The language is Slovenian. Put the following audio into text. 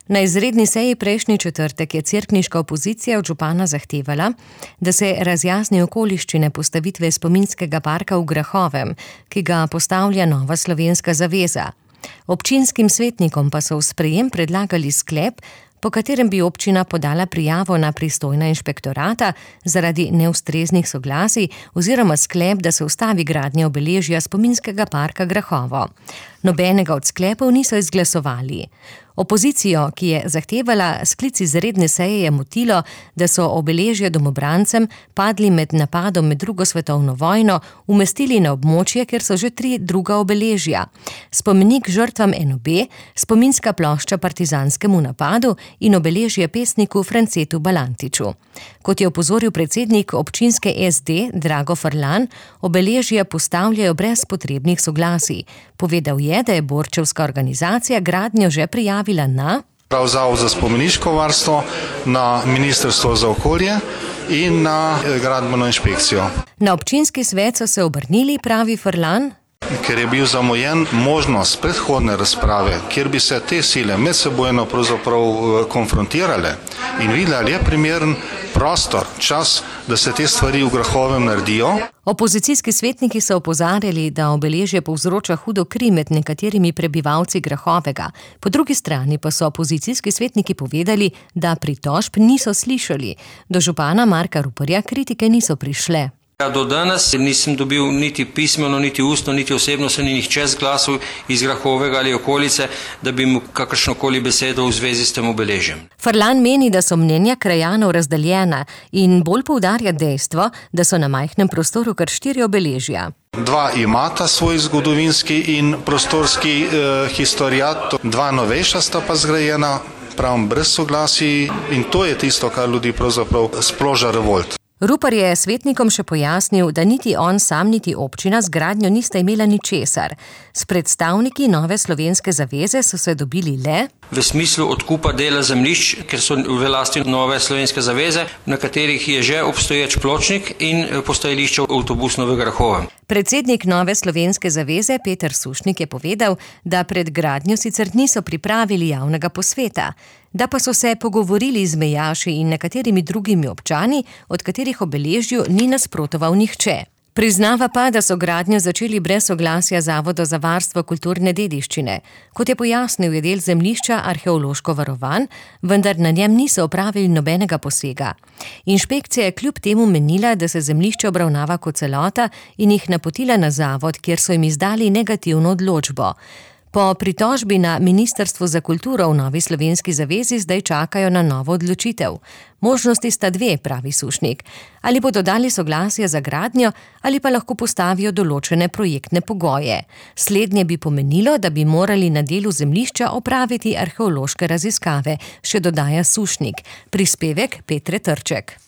Na izredni seji prejšnji četrtek je cerkniška opozicija od župana zahtevala, da se razjasni okoliščine postavitve spominskega parka v Grahovem, ki ga postavlja Nova slovenska zaveza. Občinskim svetnikom pa so v sprejem predlagali sklep, po katerem bi občina podala prijavo na pristojna inšpektorata zaradi neustreznih soglasij oziroma sklep, da se ustavi gradnja obeležja spominskega parka Grahovo. Nobenega od sklepov niso izglasovali. Opozicijo, ki je zahtevala sklic izredne seje, je motilo, da so obeležja domobrancem padli med napadom med drugo svetovno vojno umestili na območje, kjer so že 3 druga obeležja. Spomenik žrtvam NOB, spominska plošča partizanskemu napadu in obeležje pesniku Francetu Balantiču. Kot je opozoril predsednik občinske SD Drago Frlan, obeležja postavljajo brez potrebnih soglasij. Povedal je, da je borčevska organizacija gradnjo že prijavila na Zavod za spomeniško varstvo, na Ministrstvo za okolje in na gradbeno inšpekcijo. Na občinski svet so se obrnili, pravi Frlan, ker je bil zamujen možnost predhodne razprave, kjer bi se te sile medsebojno pravzaprav konfrontirale in videli, ali je primeren prostor, čas, da se te stvari v Grahovem naredijo. Opozicijski svetniki so opozarjali, da obeležje povzroča hudo kri med nekaterimi prebivalci Grahovega. Po drugi strani pa so opozicijski svetniki povedali, da pritožb niso slišali. Do župana Marka Ruparja kritike niso prišle. Do danes nisem dobil niti pismeno, niti ustno, niti osebno se ni nihče zglasil iz Grahovega ali okolice, da bi mu kakršnokoli besedo v zvezi s tem obeležjem. Frlan meni, da so mnenja krajanov razdeljena in bolj poudarja dejstvo, da so na majhnem prostoru kar 4 obeležja. 2 imata svoj zgodovinski in prostorski historiat, 2 novejša sta pa zgrajena, pravim, brez soglasij, in to je tisto, kar ljudi pravzaprav sproža revolt. Rupar je svetnikom še pojasnil, da niti on sam, niti občina z gradnjo nista imela ničesar. S predstavniki Nove slovenske zaveze so se dobili le v smislu odkupa dela zemljišč, ker so v lasti Nove slovenske zaveze, na katerih je že obstoječ pločnik in postajališče avtobusno v Grahovem. Predsednik Nove slovenske zaveze Peter Sušnik je povedal, da pred gradnjo sicer niso pripravili javnega posveta, da pa so se pogovorili z mejaši in nekaterimi drugimi občani, od katerih obeležju ni nasprotoval nihče. Priznava pa, da so gradnjo začeli brez soglasja Zavoda za varstvo kulturne dediščine. Kot je pojasnil, je del zemljišča arheološko varovan, vendar na njem niso opravili nobenega posega. Inšpekcija je kljub temu menila, da se zemljišče obravnava kot celota in jih napotila na zavod, kjer so jim izdali negativno odločbo. Po pritožbi na Ministrstvo za kulturo v Novi slovenski zavezi zdaj čakajo na novo odločitev. Možnosti sta 2, pravi Sušnik. Ali bodo dali soglasje za gradnjo ali pa lahko postavijo določene projektne pogoje. Slednje bi pomenilo, da bi morali na delu zemljišča opraviti arheološke raziskave, še dodaja Sušnik. Prispevek Petre Trček.